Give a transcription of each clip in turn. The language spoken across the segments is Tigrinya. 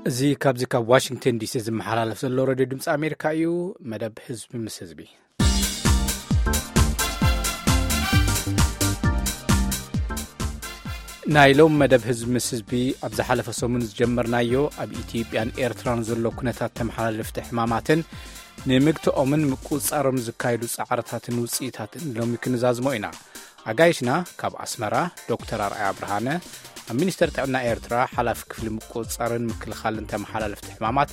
እዚ ካብዚ ካብ ዋሽንግተን ዲሲ ዝመሓላለፍ ዘሎ ሬድዮ ድምፂ ኣሜሪካ እዩ። መደብ ህዝቢ ምስ ህዝቢ። ናይ ሎም መደብ ህዝቢ ምስ ህዝቢ ኣብ ዝሓለፈ ሰሙን ዝጀመርናዮ ኣብ ኢትዮጵያን ኤርትራን ዘሎ ኩነታት ተመሓላለፍቲ ሕማማትን ንምግትኦምን ምቁጽጻሮም ዝካየዱ ጻዕርታትን ውጽኢታትን ሎሚ ክንዛዝሞ ኢና። ኣጋይሽና ካብ ኣስመራ ዶክተር ኣርኣያ ብርሃነ፣ ኣብ ሚኒስተር ጥዕና ኤርትራ ሓላፊ ክፍሊ ምቁጽጻርን ምክልኻልን ተመሓላለፍቲ ሕማማት፣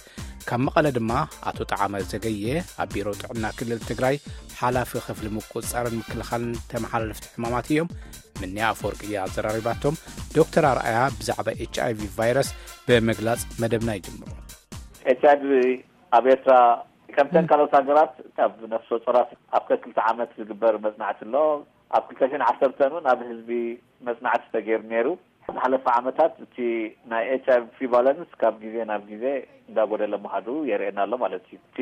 ካብ መቐለ ድማ ኣቶ ጠዓመ ዘገየ፣ ኣብ ቢሮ ጥዕና ክልል ትግራይ ሓላፊ ክፍሊ ምቁጽጻርን ምክልኻልን ተመሓላለፍቲ ሕማማት እዮም። ምንያ ኣፈወርቂ እያ ኣዘራሪባቶም። ዶክተር ኣርኣያ ብዛዕባ ኤች ኣይ ቪ ቫይረስ ብምግላጽ መደብና ይጅምሩ። ኤች ኣይ ቪ ኣብ ኤርትራ ከምተን ካልኦት ሃገራት ካብ ነፍሰ ጾራት ኣብ ከክልተ ዓመት ዝግበር መጽናዕቲ ኣሎ። ኣብ ክልተ ሽሕን ዓሰርተን እውን ኣብ ህዝቢ መጽናዕቲ ተገይሩ ነይሩ። ዝሓለፈ ዓመታት እቲ ናይ ኤች ኣይ ቪ ፕሪቫለንስ ካብ ግዜ ናብ ግዜ እንዳጎደለ ምኻዱ የርእየና ኣሎ ማለት እዩ። እቲ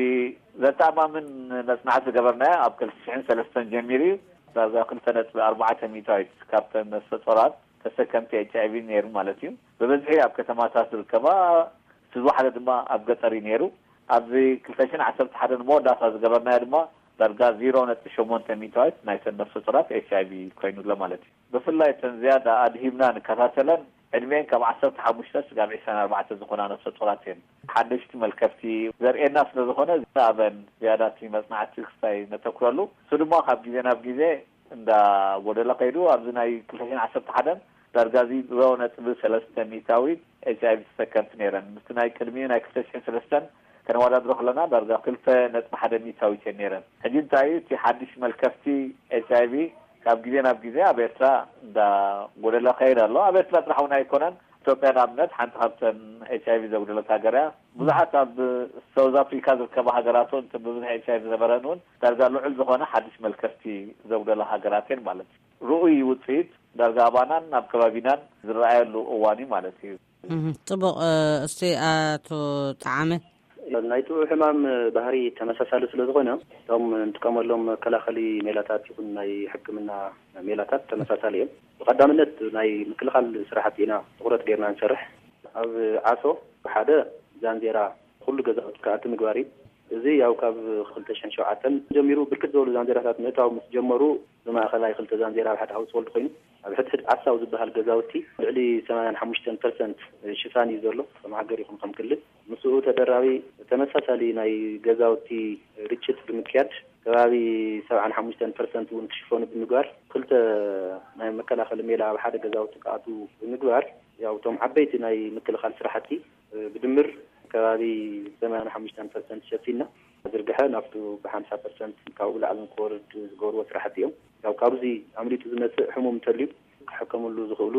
ዘተኣማምን መጽናዕቲ ዝገበርናዮ ኣብ ክልተ ሽሕን ሰለስተን ጀሚሩ እዩ። ዳርጋ ክልተ ነጥቢ ኣርባዕተ ሚእታዊት ካብተን ነፍሰ ጾራት ተሰከምቲ ኤች ኣይ ቪ ነይሩ ማለት እዩ። ብብዝሒ ኣብ ከተማታት ዝርከባ፣ እቲ ዝወሓደ ድማ ኣብ ገጠር እዩ ነይሩ። ኣብዚ ክልተ ሽሕን ዓሰርተ ሓደን መወዳእታ ዝገበርናዮ ድማ ዳርጋ ዜሮ ነጥቢ ሸሞንተ ሚእታዊት ናይተን ነፍሰ ጾራት ኤች ኣይ ቪ ኮይኑ ኣሎ ማለት እዩ። ብፍላይ እተን ዝያዳ ኣድሂብና ንከታተለን ዕድሜን ካብ ዓሰርተ ሓሙሽተ ስጋብ ዕስራን ኣርባዕተን ዝኾና ነፍሰ ጾራት እየን። ሓደሽቲ መልከፍቲ ዘርእየና ስለ ዝኾነ፣ ኣበን ዝያዳ እቲ መጽናዕቲ ክስታይ ነተኩረሉ። እሱ ድማ ካብ ግዜ ናብ ግዜ እንዳ ጎደለ ከይዱ፣ ኣብዚ ናይ ክልተ ሽሕን ዓሰርተ ሓደን ዳርጋ እዚ ዜሮ ነጥቢ ሰለስተ ሚእታዊት ኤች ኣይ ቪ ተሰከምቲ ነይረን። ምስቲ ናይ ቅድሚኡ ናይ ክልተ ሽሕን ሰለስተን ከነወዳድሮ ከለና ዳርጋ ክልተ ነጥቢ ሓደ ሚእታዊት እየን ነይረን። ሕጂ እንታይ እዩ እቲ ሓድሽ መልከፍቲ ኤች ኣይ ቪ? ካብ ግዜ ናብ ግዜ ኣብ ኤርትራ እንዳ ጎደለ ከይድ ኣሎ። ኣብ ኤርትራ ጥራሕ እውን ኣይኮነን። ኢትዮጵያ ንኣብነት ሓንቲ ካብተን ኤች ኣይ ቪ ዘጉደለት ሃገር እያ። ብዙሓት ኣብ ሳውዝ ኣፍሪካ ዝርከባ ሃገራት እውን፣ እተን ብብዝሒ ኤች ኣይ ቪ ዝነበረን እውን ዳርጋ ልዑል ዝኾነ ሓድሽ መልከፍቲ ዘጉደላ ሃገራት እየን ማለት እዩ። ርኡይ ውፅኢት ዳርጋ ኣባናን ኣብ ከባቢናን ዝረኣየሉ እዋን እዩ ማለት እዩ። እህ፣ ጽቡቕ። እ፣ እስቲ ኣቶ ጠዓመ። ናይቱ ሕማም ባህሪ ተመሳሳሊ ስለ ዝኾነ፣ እቶም እንጥቀመሎም መከላኸሊ ሜላታት ይኹን ናይ ሕክምና ሜላታት ተመሳሳሊ እዮም። ብቐዳምነት ናይ ምክልኻል ስራሕቲ ኢና ትኹረት ጌርና ንሰርሕ። ኣብ ዓሶ ሓደ ዛንዜራ ኩሉ ገዛውቲ ክኣቲ ምግባር እዩ። እዚ ያው ካብ ክልተ ሽሕን ሸውዓተን ጀሚሩ ብርክት ዝበሉ ዛንዜራታት ምእታው ምስ ጀመሩ፣ ብማእኸላይ ክልተ ዛንዜራ ኣብ ሓደ ሃውስሆልድ ኮይኑ፣ ኣብ ሕድሕድ ዓሳው ዝበሃል ገዛውቲ ልዕሊ ሰማንያን ሓሙሽተን ፐርሰንት ሽፋን እዩ ዘሎ፣ ከም ሃገር ይኹን ከም ክልል። ምስኡ ተደራቢ ተመሳሳሊ ናይ ገዛውቲ ርጭት ብምክያድ፣ ከባቢ ሰብዓን ሓሙሽተን ፐርሰንት እውን ክሽፈኑ ብምግባር፣ ክልተ ናይ መከላኸሊ ሜላ ኣብ ሓደ ገዛውቲ ክኣትዉ ብምግባር፣ ያው እቶም ዓበይቲ ናይ ምክልኻል ስራሕቲ ብድምር ከባቢ ሰማንያን ሓሙሽተን ፐርሰንት ሸፊና፣ ዝርግሐ ናብቱ ብሓምሳ ፐርሰንት ካብኡ ላዕሊ ንክወርድ ዝገብርዎ ስራሕቲ እዮም። ያው ካብዚ ኣምሊጡ ዝመጽእ ሕሙም እንተልዩ፣ ክሕከምሉ ዝኽእሉ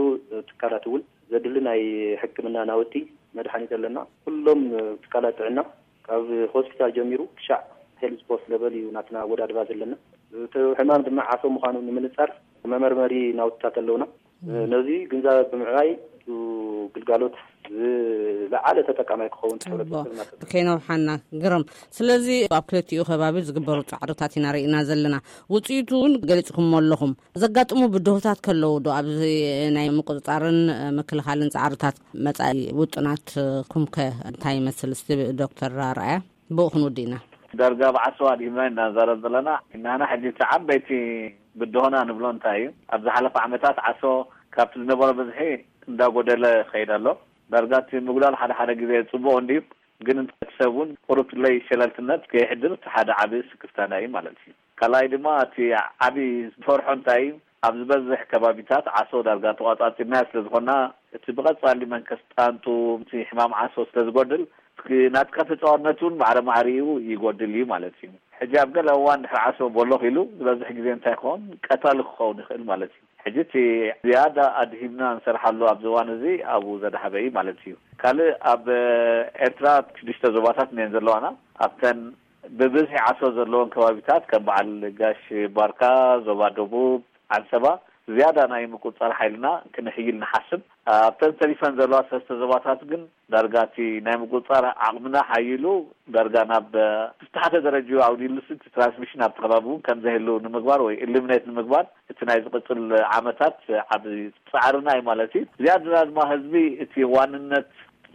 ትካላት እውን ዘድሊ ናይ ሕክምና ናውቲ፣ መድሓኒት ኣለና። ኩሎም ትካላት ጥዕና፣ ካብ ሆስፒታል ጀሚሩ ክሻዕ ሄልዝ ፖስት ለቨል እዩ ናትና ኣወዳድባ ዘለና። እቲ ሕማም ድማ ዓሶ ምዃኑ ንምንጻር መመርመሪ ናውትታት ኣለውና። ነዚ ግንዛበ ብምዕባይ፣ ግልጋሎት ዝለዓለ ተጠቃማይ ክኸውን እቲ ሕብረተሰብና ተጠ- ከይነውሓና ግርም። ስለዚ ኣብ ክልቲኡ ከባቢ ዝግበሩ ጻዕርታት ኢና ርኢና ዘለና። ውጽኢቱ እውን ገሊጽኩሞ ኣለኹም። ዘጋጥሙ ብድሆታት ከለዉ ዶ ኣብዚ ናይ ምቁጽጻርን ምክልኻልን ጻዕርታት መጻኢ ውጥናትኩም ከ እንታይ ይመስል? እስቲ ዶክተር ኣርኣያ ብኡ ክንውድእ ኢና። ዳርጋ ብዓሰዋ ድሂምና ኢና ንዛረብ ዘለና። ናና ሕጂ እቲ ዓበይቲ ብድሆና ንብሎ እንታይ እዩ? ኣብ ዝሓለፈ ዓመታት ዓሶ ካብቲ ዝነበሮ ብዝሒ እንዳጎደለ ይኸይድ ኣሎ። ዳርጋ እቲ ምጉዳል ሓደ ሓደ ግዜ ጽቡቕ እንድዩ፣ ግን ሰብ እውን ቁሩብ ለይ ሸለልትነት ከየሕድር እቲ ሓደ ዓቢ ስክፍታና እዩ ማለት እዩ። ካልኣይ ድማ እቲ ዓቢ ዝፈርሖ እንታይ እዩ? ኣብ ዝበዝሕ ከባቢታት ዓሶ ዳርጋ ተቋጻጺርናዮ ስለ ዝኾንና፣ እቲ ብቐጻሊ መንከስ ጣንጡ፣ እቲ ሕማም ዓሶ ስለ ዝጎድል፣ እስኪ ናትካ ተጻዋርነት እውን ማዕረ ማዕሪኡ ይጎድል እዩ ማለት እዩ። ሕጂ ኣብ ገለ እዋን ድሕሪ ዓሶ ቦሎኽ ኢሉ ዝበዝሕ ግዜ እንታይ ክኸውን? ቀታሊ ክኸውን ይኽእል ማለት እዩ። ሕጂ እቲ ዝያዳ ኣድሂብና እንሰርሓሉ ኣብዚ እዋን እዚ ኣብኡ ዘድሃበ እዩ ማለት እዩ። ካልእ ኣብ ኤርትራ ሽዱሽተ ዞባታት እየን ዘለዋና። ኣብተን ብብዝሒ ዓሶ ዘለዎን ከባቢታት ከም በዓል ጋሽ ባርካ፣ ዞባ ደቡብ፣ ዓንሰባ ዝያዳ ናይ ምቁጽጻር ሓይልና ክነሕይል ንሓስብ። ኣብተን ተሪፈን ዘለዋ ሰለስተ ዞባታት ግን ዳርጋ እቲ ናይ ምቁጽጻር ዓቕምና ሓይሉ ዳርጋ ናብ ትሕተ ደረጃ ኣውዲሉስ እቲ ትራንስሚሽን ኣብቲ ከባቢ እውን ከም ዘህሉ ንምግባር ወይ ኢሊሚኔት ንምግባር እቲ ናይ ዝቕጽል ዓመታት ዓቢ ጻዕርና እዩ ማለት እዩ። ዝያዳ ድማ ህዝቢ እቲ ዋንነት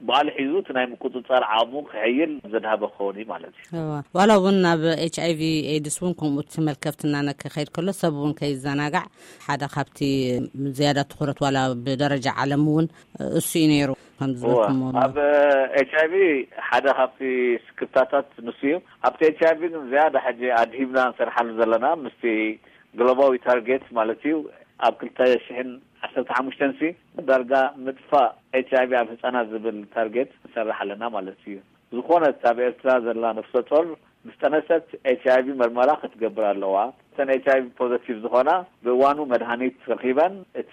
በዓል ሒዙ እቲ ናይ ምቁፅፃር ዓቕሙ ክሕይል ዘድሃበ ክኸውን እዩ ማለት እዩ። እዋ፣ ዋላ እውን ናብ ኤች ኣይ ቪ ኤድስ እውን ከምኡ እቲ መልከፍትና ነክኸይድ ከሎ ሰብ እውን ከይዘናጋዕ ሓደ ካብቲ ዝያዳ ትኹረት ዋላ ብደረጃ ዓለም እውን እሱ እዩ ነይሩ። ከምዚ እዋ፣ ዝበልኩሞ ኣብ ኤች ኣይ ቪ ሓደ ካብቲ ስክፍታታት ንሱ እዩ። ኣብቲ ኤች ኣይ ቪ ግን ዝያዳ ሕጂ ኣድሂብና ንሰርሓሉ ዘለና ምስቲ ግሎባዊ ታርጌት ማለት እዩ። ኣብ ክልተ ሽሕን ዓሰርተ ሓሙሽተን ሲ ዳርጋ ምጥፋእ ኤች ኣይ ቪ ኣብ ህፃናት ዝብል ታርጌት ንሰርሕ ኣለና ማለት እዩ። ዝኾነት ኣብ ኤርትራ ዘላ ነፍሰ ጾር ምስ ጠነሰት ኤች ኣይ ቪ መርመራ ክትገብር ኣለዋ። እተን ኤች ኣይ ቪ ፖዘቲቭ ዝኾና ብእዋኑ መድሃኒት ረኺበን እቲ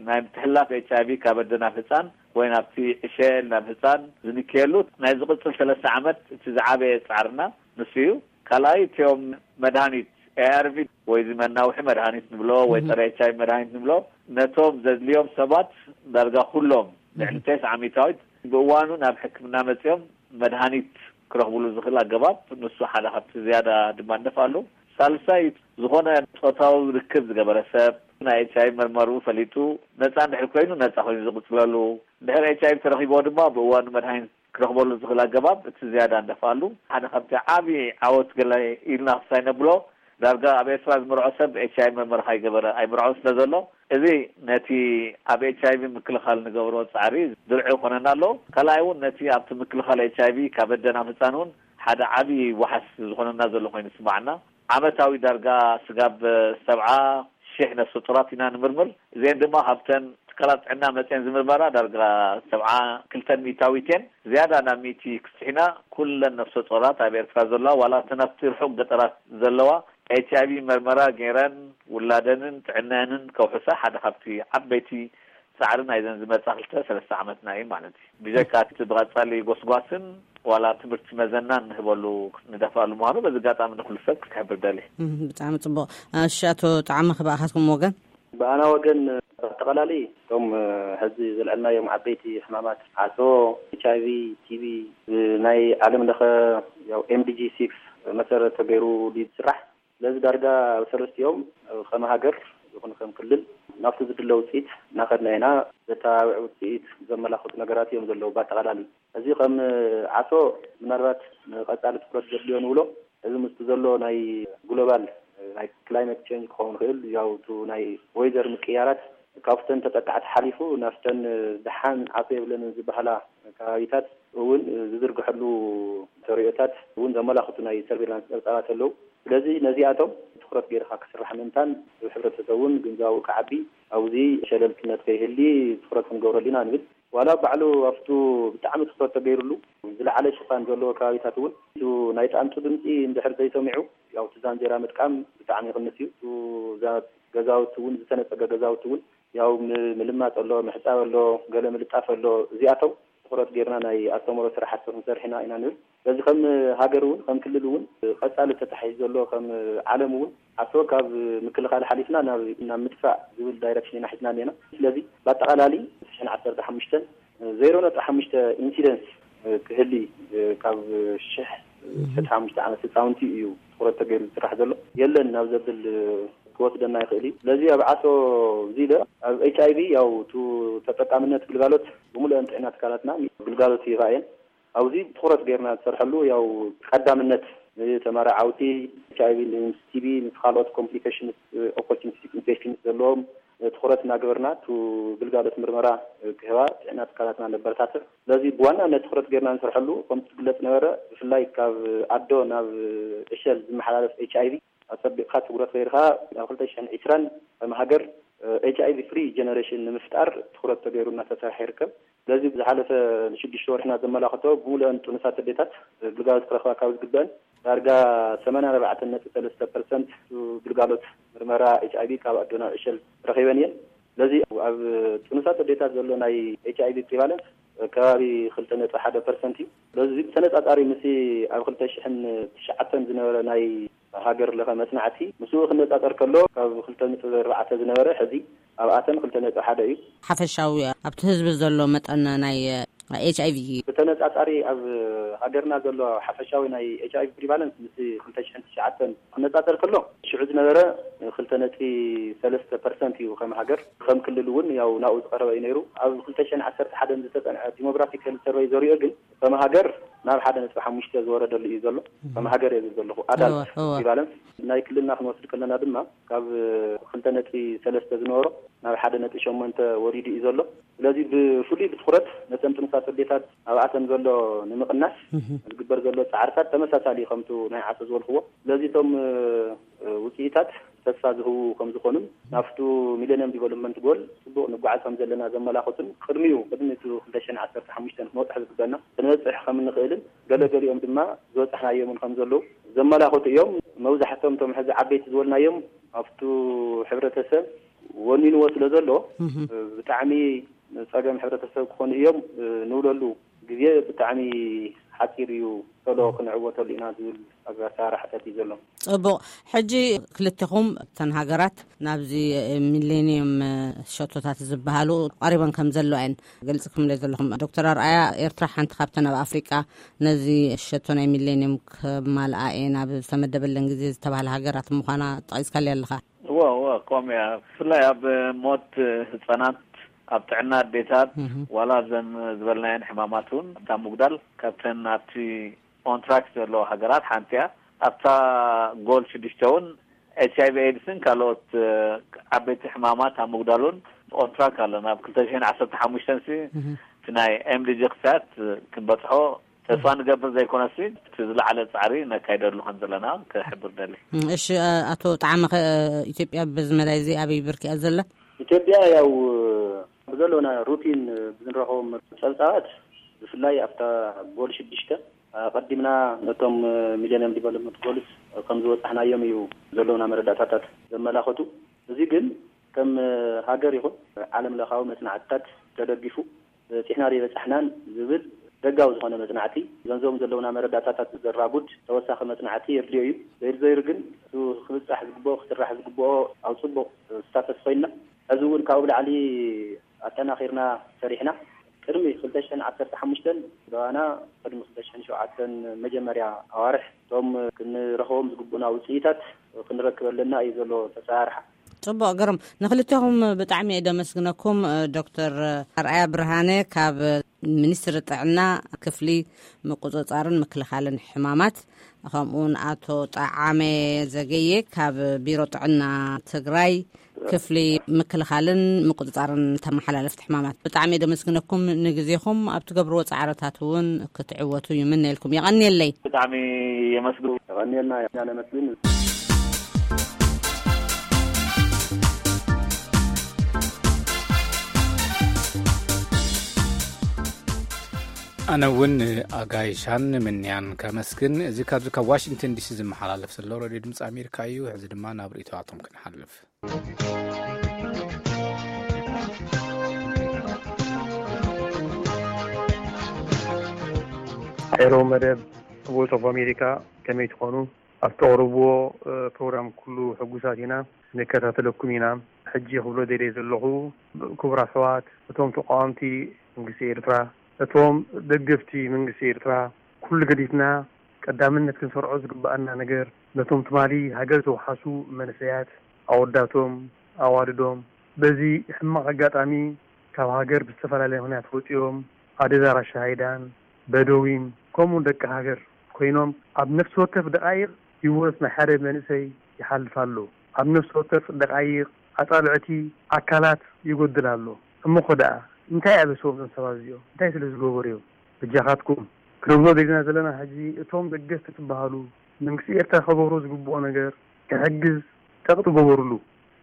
ናይ ምትሕላፍ ኤች ኣይ ቪ ካብ ኣደ ናብ ህፃን ወይ ናብቲ ዕሸል ናብ ህፃን ዝንክየሉ ናይ ዝቕፅል ሰለስተ ዓመት እቲ ዝዓበየ ፃዕርና ንሱ እዩ። ካልኣይ እቲኦም መድሃኒት ኤ ኣር ቪ ወይ እዚ መናውሒ መድሃኒት ንብሎ ወይ ጸረ ኤች ኣይ ቪ መድሃኒት ንብሎ ነቶም ዘድልዮም ሰባት ዳርጋ ኩሎም ልዕሊ ተስዓ ሚእታዊት ብእዋኑ ናብ ሕክምና መጺኦም መድሃኒት ክረኽብሉ ዝኽእል ኣገባብ ንሱ ሓደ ካብቲ ዝያዳ ድማ ንደፍኣሉ። ሳልሳይ ዝኾነ ጾታዊ ርክብ ዝገበረ ሰብ ናይ ኤች ኣይ ቪ መርመሩ ፈሊጡ ነጻ እንድሕር ኮይኑ ነጻ ኮይኑ ዝቕጽለሉ፣ እንድሕር ኤች ኣይ ቪ ተረኺብዎ ድማ ብእዋኑ መድሃኒት ክረኽበሉ ዝኽእል ኣገባብ እቲ ዝያዳ እንደፍኣሉ ሓደ ካብቲ ዓብዪ ዓወት ገለ ኢልና ክሳይ ነብሎ ዳርጋ ኣብ ኤርትራ ዝምርዖ ሰብ ኤች ኣይ ቪ መርመራ ከይገበረ ኣይምርዖን ስለ ዘሎ እዚ ነቲ ኣብ ኤች ኣይ ቪ ምክልኻል ንገብሮ ጻዕሪ ድርዒ ይኾነና ኣሎ። ካልኣይ እውን ነቲ ኣብቲ ምክልኻል ኤች ኣይ ቪ ካብ ኣደ ናብ ህጻን እውን ሓደ ዓብዪ ዋሕስ ዝኾነና ዘሎ ኮይኑ ይስምዓና። ዓመታዊ ዳርጋ ስጋብ ሰብዓ ሽሕ ነፍሰ ጡራት ኢና ንምርምር። እዚአን ድማ ካብተን ትካላት ጥዕና መፅየን ዝምርመራ ዳርጋ ሰብዓ ክልተን ሚእታዊት እየን። ዝያዳ ናብ ሚእቲ ክስሒና ኩለን ነፍሰ ጡራት ኣብ ኤርትራ ዘለዋ ዋላ እተን ኣብቲ ርሑቕ ገጠራት ዘለዋ ኤች ኣይ ቪ መርመራ ገይረን ውላደንን ጥዕናየንን ከውሕሳ ሓደ ካብቲ ዓበይቲ ጻዕሪ ናይዘን ዝመጻ ክልተ ሰለስተ ዓመትና እዩ ማለት እዩ። ብጀካ እቲ ብቐጻሊ ጎስጓስን ዋላ ትምህርቲ መዘናን ንህበሉ ንደፍኣሉ ምዃኑ በዚ ኣጋጣሚ ንኩሉ ሰብ ክሕብር ደልየ። እም፣ ብጣዕሚ ጽቡቕ። እሺ፣ ኣቶ ጣዕመ፣ ክበኣኻትኩም ወገን? ብኣና ወገን፣ ኣጠቓላሊ እቶም፣ እ፣ ሕዚ ዘልዐልናዮም ዓበይቲ ሕማማት ዓሶ፣ ኤች ኣይ ቪ፣ ቲ ቢ፣ እ፣ ናይ ዓለም ለኸ ያው ኤም ዲ ጂ ሲክስ መሰረት ተገይሩ ድዩ ዝስራሕ? ስለዚ ዳርጋ ኣብ ሰለስቲኦም ከም ሃገር ይኹን ከም ክልል ናብቲ ዝድለ ውፅኢት እናኸድና ኢና። ዘተባብዕ ውፅኢት ዘመላኽቱ ነገራት እዮም ዘለዉ። ብኣጠቓላሊ እዚ ከም ዓሶ ምናልባት ንቐፃሊ ትኩረት ዘድልዮ ንብሎ፣ እዚ ምስቲ ዘሎ ናይ ግሎባል ናይ ክላይመት ቼንጅ ክኸውን ይኽእል፣ ያው እቲ ናይ ወይዘር ምቅያራት ካብተን ተጠቃዕቲ ሓሊፉ ናብተን ደሓን ዓሶ የብለንን ዝበሃላ ከባቢታት እውን ዝዝርግሐሉ ተርእዮታት እውን ዘመላኽቱ ናይ ሰርቬላንስ ፀብፃባት ኣለዉ። ስለዚ ነዚኣቶም ትኹረት ገይርካ ክስራሕ ምእንታን ህብረተሰብ እውን ግንዛቡ ክዓቢ ኣብዚ ሸለልትነት ከይህሊ ትኹረት ክንገብረሉ ኢና ንብል። ዋላ ባዕሉ ኣብቱ ብጣዕሚ ትኹረት ተገይሩሉ ዝለዓለ ሽፋን ዘለዎ ከባቢታት እውን እቲ ናይ ጣንጡ ድምፂ እንድሕር ዘይሰሚዑ ያው እቲ ዛንዜራ ምጥቃም ብጣዕሚ ይቕንስ እዩ። እቲ ዛ-፣ ገዛውቲ እውን ዝተነፀገ ገዛውቲ እውን ያው ም-፣ ምልማፅ ኣሎ፣ ምሕፃብ ኣሎ፣ ገለ ምልጣፍ ኣሎ። እዚኣቶም ትኹረት ጌርና ናይ ኣስተምህሮ ስራሕቲ ክንሰርሕ ኢና ኢና ንብል። ስለዚ ከም ሃገር እውን ከም ክልል እውን ቀፃሊ ተታሒዙ ዘሎ ከም ዓለም እውን ዓሶ ካብ ምክልኻል ሓሊፍና ናብ፣ ናብ ምጥፋእ ዝብል ዳይረክሽን ኢና ሒዝና እኒና። ስለዚ ብኣጠቓላሊ ሽሕን ዓሰርተ ሓሙሽተን ዜሮ ነጥቢ ሓሙሽተ ኢንሲደንስ ክህሊ ካብ ሽሕ ሽሕን ሓሙሽተ ዓመት ህፃውንቲ እዩ ትኹረት ተገይሩ ዝስራሕ ዘሎ። የለን ናብ ዘብል ክወስደና ይኽእል እዩ። ስለዚ ኣብ ዓሶ እዚ ኢለ ኣብ ኤች ኣይ ቪ ያው ቱ ተጠቃምነት ግልጋሎት ብምሉአን ጥዕና ትካላትና ግልጋሎት ይህባ እየን። ኣብዚ ትኹረት ጌርና ዝሰርሐሉ ያው ቀዳምነት ንተመራዓውቲ ኤች ኣይ ቪ፣ ምስ ቲ ቢ፣ ምስ ካልኦት ኮምፕሊኬሽንስ፣ ኦፖርቹኒስቲክ ኢንፌክሽንስ ዘለዎም ትኹረት እናገበርና ቱ ግልጋሎት ምርመራ ክህባ ጥዕና ትካላትና ነበረታትዕ። ስለዚ ብዋናነት ትኹረት ጌርና ንሰርሐሉ ከምቲ ዝግለጽ ነበረ ብፍላይ ካብ ኣዶ ናብ ዕሸል ዝመሓላለፍ ኤች ኣይ ቪ ኣጸቢቕካ ትኩረት ገይርካ ኣብ ክልተ ሽሕን ዕስራን ከም ሃገር ኤች ኣይ ቪ ፍሪ ጀነሬሽን ንምፍጣር ትኩረት ተገይሩ እናተሰርሐ ይርከብ። ስለዚ ብዝሓለፈ ንሽዱሽተ ወርሕና ዘመላኽቶ ብምሉአን ጥኑሳት ኣዴታት ግልጋሎት ክረኽባ ካብ ዝግበአን ዳርጋ ሰማንያ ኣርባዕተ ነጥቢ ሰለስተ ፐርሰንት ግልጋሎት ምርመራ ኤች ኣይ ቪ ካብ ኣዶ ናብ ዕሸል ረኺበን እየን። ስለዚ ኣብ ጥኑሳት ኣዴታት ዘሎ ናይ ኤች ኣይ ቪ ፕሪቫለንስ ከባቢ ክልተ ነጥቢ ሓደ ፐርሰንት እዩ። ስለዚ ብተነጻጻሪ ምስ ኣብ ክልተ ሽሕን ትሽዓተን ዝነበረ ናይ ሃገር ለኸ መጽናዕቲ ምስኡ ክነጻጸር ከሎ ካብ ክልተ ነጥቢ ኣርባዕተ ዝነበረ ሕዚ ኣብኣተን ክልተ ነጥቢ ሓደ እዩ። ሓፈሻዊ ኣብቲ ህዝቢ ዘሎ መጠን ናይ ኤች ኣይ ቪ? ብተነጻጻሪ ኣብ ሃገርና ዘሎ ሓፈሻዊ ናይ ኤች ኣይ ቪ ፕሪቫለንስ ምስ ክልተ ሽሕን ትሽዓተን ክነጻጸር ከሎ፣ ሽዑ ዝነበረ ክልተ ነጥቢ ሰለስተ ፐርሰንት እዩ ከም ሃገር። ከም ክልል እውን ያው ናብኡ ዝቐረበ እዩ ነይሩ። ኣብ ክልተ ሽሕን ዓሰርተ ሓደን ዝተጸንዐ ዲሞግራፊክ ሄልት ሰርቨይ ዘሪኦ ግን ከም ሃገር ናብ ሓደ ነጥቢ ሓሙሽተ ዝወረደሉ እዩ ዘሎ። ከም ሃገር እየ ዝብል ዘለኹ። ኣዳልት እወ፣ እወ። ፕሪቫለንስ ናይ ክልልና ክንወስድ ከለና ድማ ካብ ክልተ ነጥቢ ሰለስተ ዝነበሮ ናብ ሓደ ነጥቢ ሸሞንተ ወሪዱ እዩ ዘሎ። ስለዚ ብፍሉይ ብትኹረት ነተን ጥኑሳት ኣዴታት ኣብኣተን ዘሎ ንምቕናስ ዝግበር ዘሎ ጻዕርታት ተመሳሳሊ ከምቱ ናይ ዓሶ ዝበልክዎ። ስለዚ እቶም ውፅኢታት ተስፋ ዝህቡ ከም ዝኾኑን ናብቱ ሚሌኒየም ዲቨሎፕመንት ጎል ጽቡቕ ንጓዓዝ ከም ዘለና ዘመላኽቱን ቅድሚኡ ቅድሚ እቲ ክልተ ሽሕን ዓሰርተ ሓሙሽተን ክንበጽሕ ዝግበና ክንበጽሕ ከም እንኽእልን ገለገሊኦም ድማ ዝበጻሕናዮምን ከም ዘለዉ ዘመላኽቱ እዮም። መብዛሕቶም እቶም ሕዚ ዓበይቲ ዝበልናዮም ኣብቱ ሕብረተሰብ ወኒንዎ ስለ ዘሎ ብጣዕሚ ጸገም ሕብረተሰብ ክኾኑ እዮም ንብለሉ ግዜ ብጣዕሚ ሓጺር እዩ፣ ቶሎ ክንዕወተሉ ኢና ዝብል ኣሰራርሓታት እዩ ዘሎ። ጽቡቕ። ሕጂ ክልቴኹም እተን ሃገራት ናብዚ ሚሌኒየም ሸቶታት ዝበሃሉ ቀሪበን ከም ዘለዋ እየን ገልጽኩምለይ ዘለኹም። ዶክተር ኣርኣያ፣ ኤርትራ ሓንቲ ካብተን ኣብ ኣፍሪቃ ነዚ ሸቶ ናይ ሚሌኒየም ከማልኣ እየን ኣብ ዝተመደበለን ግዜ ዝተባህላ ሃገራት ምዃና ጠቒስካለይ ኣለኻ። እወ፣ እወ፣ ከምኡ እያ። ብፍላይ ኣብ ሞት ህጻናት፣ ኣብ ጥዕና ኣዴታት፣ ዋላ እዘን ዝበልናየን ሕማማት እውን እታ ምጉዳል ካብተን ኣብቲ ኦንትራክ ዘለዎ ሃገራት ሓንቲ እያ። ኣብታ ጎል ሽዱሽተ እውን ኤች ኣይ ቪ ኤድስን ካልኦት ዓበይቲ ሕማማት ኣብ ምጉዳል እውን ኦንትራክ ኣለና። ኣብ ክልተ ሽሕን ዓሰርተ ሓሙሽተን ሲ እቲ ናይ ኤም ዲ ጂ ክሳት ክንበጽሖ ተስፋ ንገብር ዘይኮነሲ፣ እቲ ዝለዓለ ጻዕሪ ነካይደሉ ከም ዘለና ክሕብር ደሊ። እም፣ እሺ፣ እ፣ ኣቶ ጣዕመ፣ ከ ኢትዮጵያ በዚ መዳይ እዚ ኣበይ ብርኪ እያ ዘላ? ኢትዮጵያ ያው ብዘለውና ሩቲን ብዝንረኸቦም ጸብጻባት፣ ብፍላይ ኣብታ ጎል ሽዱሽተ ኣቐዲምና ነቶም ሚሌኒየም ዲቨሎፕመንት ጎልስ ከም ዝበጻሕናዮም እዩ ዘለውና መረዳእታታት ዘመላኸቱ። እዚ ግን ከም ሃገር ይኹን ዓለም ለኻዊ መጽናዕትታት ተደጊፉ በጺሕና ዶ ኣይበጻሕናን ዝብል ደጋዊ ዝኾነ መጽናዕቲ፣ ገንዘቦም ዘለውና መረዳእታታት ዘራጉድ ተወሳኺ መጽናዕቲ የድልዮ እዩ። ዘይሩ ዘይሩ ግን እቱ ክብጻሕ ዝግብኦ፣ ክስራሕ ዝግብኦ ኣብ ጽቡቕ ስታተስ ኮይንና፣ ሕዚ እውን ካብኡ ብላዕሊ ኣጠናኺርና ሰሪሕና፣ ቅድሚ ክልተ ሽሕን ዓሰርተ ሓሙሽተን ዝረኣና፣ ቅድሚ ክልተ ሽሕን ሸውዓተን መጀመርያ ኣዋርሕ እቶም ክንረኽቦም ዝግብኡና ውጽኢታት ክንረክብ ኣለና እዩ ዘሎ ተሰራርሓ። ጽቡቕ፣ ግርም። ንኽልቴኹም ብጣዕሚ እየ ደመስግነኩም። ዶክተር ኣርኣያ ብርሃነ ካብ ሚኒስትሪ ጥዕና ክፍሊ ምቁጽጻርን ምክልኻልን ሕማማት፣ ከምኡውን ኣቶ ጠዓመ ዘገየ ካብ ቢሮ ጥዕና ትግራይ ክፍሊ ምክልኻልን ምቁጽጻርን ተመሓላለፍቲ ሕማማት። ብጣዕሚ እየ ደመስግነኩም ንግዜኹም። ኣብ ትገብርዎ ጻዕርታት እውን ክትዕወቱ ይምነየልኩም። የቐንየለይ። ብጣዕሚ የመስግን። የቐንየልና ኢና ነመስግን። ኣነ እውን ኣጋይሻን ምንያን ከመስግን። እዚ ካብዚ ካብ ዋሽንግተን ዲሲ ዝመሓላለፍ ዘሎ ሬድዮ ድምፂ ኣሜሪካ እዩ። ሕዚ ድማ ናብ ርእይቶታቶም ክንሓልፍ። ኤሮ መደብ ቮይስ ኦፍ ኣሜሪካ፣ ከመይ ትኾኑ? ኣብ ተቕርብዎ ፕሮግራም ኩሉ ሕጉሳት ኢና፣ ንከታተለኩም ኢና። ሕጂ ክብሎ ደልየ ዘለኹ፣ ክቡር ኣሕዋት፣ እቶም ተቃወምቲ መንግስቲ ኤርትራ፣ እቶም ደገፍቲ መንግስቲ ኤርትራ፣ ኩሉ ገዲፍና ቀዳምነት ክንሰርዖ ዝግብኣና ነገር፣ ነቶም ትማሊ ሃገር ዘውሓሱ መንእሰያት፣ ኣወዳቶም፣ ኣዋልዶም፣ በዚ ሕማቕ ኣጋጣሚ ካብ ሃገር ብዝተፈላለየ ምኽንያት ወጺኦም፣ ኣደዳ ራሻ ሃይዳን፣ በደዊን፣ ከምኡውን ደቂ ሃገር ኮይኖም፣ ኣብ ነፍሲ ወከፍ ደቓይቕ ህይወት ናይ ሓደ መንእሰይ ይሓልፍ ኣሎ። ኣብ ነፍሲ ወከፍ ደቓይቕ ኣጻብዕቲ ኣካላት ይጎድል ኣሎ። እሞ ኸ ደኣ እንታይ ኣበስዎም እዞም ሰባት እዚኦም? እንታይ ስለ ዝገበሩ እዮም? በጃኻትኩም ክንብሎ ደሊና ዘለና ሕጂ፣ እቶም ደገፍቲ ትበሃሉ፣ መንግስቲ ኤርትራ ከገብሮ ዝግብኦ ነገር ክሕግዝ ጸቕጢ ገበሩሉ።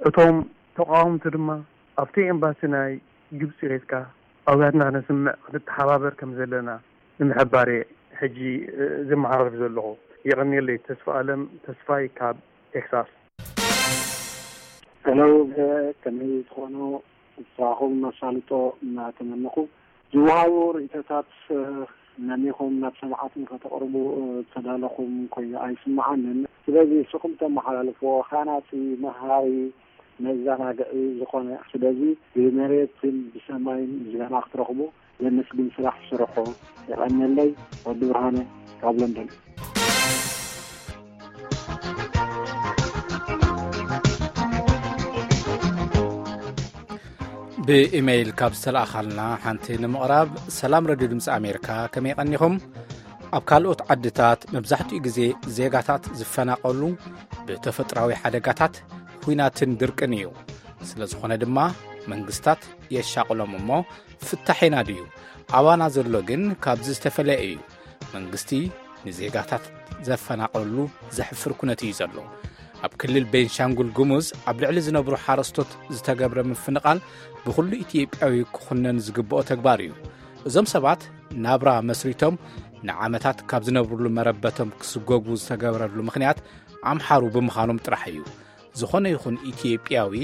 እቶም ተቃወምቲ ድማ ኣብቲ ኤምባሲ ናይ ግብጺ ኸይድካ ኣውያትና ክነስምዕ ክንተሓባበር ከም ዘለና ንምሕባር እየ ሕጂ፣ እ፣ ዘመሓላልፍ ዘለኹ። የቐንየለይ። ተስፋ ኣለም ተስፋይ ካብ ቴክሳስ። ሄሎ፣ ከመይ ትኾኑ? ንስኻኹም መሳልጦ እናተመነኹ፣ ዝወሃቡ ርእይቶታት ነሚኹም ናብ ሰማዕቲ ከተቕርቡ ዝተዳለኹም ኮይኑ ኣይስምዓንን። ስለዚ ንስኹም ተመሓላልፍዎ ሃናጺ፣ መሃሪ፣ መዘናግዒ ዝኾነ። ስለዚ ብመሬትን ብሰማይን ዜና ክትረኽቡ ዘመስግን ስራሕ ዝስርሑ። የቐንየለይ። ወዲ ብርሃነ ካብ ለንደን። ብኢሜይል ካብ ዝተለኣኻልና ሓንቲ ንምቕራብ። ሰላም ረድዮ ድምፂ ኣሜሪካ፣ ከመይ ቀኒኹም? ኣብ ካልኦት ዓድታት መብዛሕትኡ ግዜ ዜጋታት ዝፈናቐሉ ብተፈጥራዊ ሓደጋታት፣ ኲናትን ድርቅን እዩ። ስለ ዝኾነ ድማ መንግስታት የሻቕሎም እሞ፣ ፍታሕ ኢና ድዩ? ኣባና ዘሎ ግን ካብዚ ዝተፈለየ እዩ። መንግስቲ ንዜጋታት ዘፈናቐሉ ዘሕፍር ኩነት እዩ ዘሎ። ኣብ ክልል ቤንሻንጉል ጉሙዝ ኣብ ልዕሊ ዝነብሩ ሓረስቶት ዝተገብረ ምፍንቓል ብኹሉ ኢትዮጵያዊ ክኹነን ዝግብኦ ተግባር እዩ። እዞም ሰባት ናብራ መስሪቶም ንዓመታት ካብ ዝነብሩሉ መረበቶም ክስጎጉ ዝተገብረሉ ምኽንያት ኣምሓሩ ብምዃኖም ጥራሕ እዩ። ዝኾነ ይኹን ኢትዮጵያዊ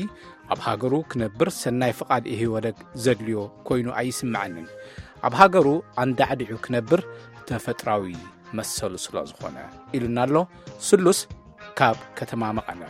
ኣብ ሃገሩ ክነብር ሰናይ ፍቓድ ኢህወደግ ዘድልዮ ኮይኑ ኣይስምዐንን። ኣብ ሃገሩ ኣንዳዕዲዑ ክነብር ተፈጥራዊ መሰሉ ስለ ዝኾነ፣ ኢሉና ኣሎ ስሉስ ካብ ከተማ መቐለ።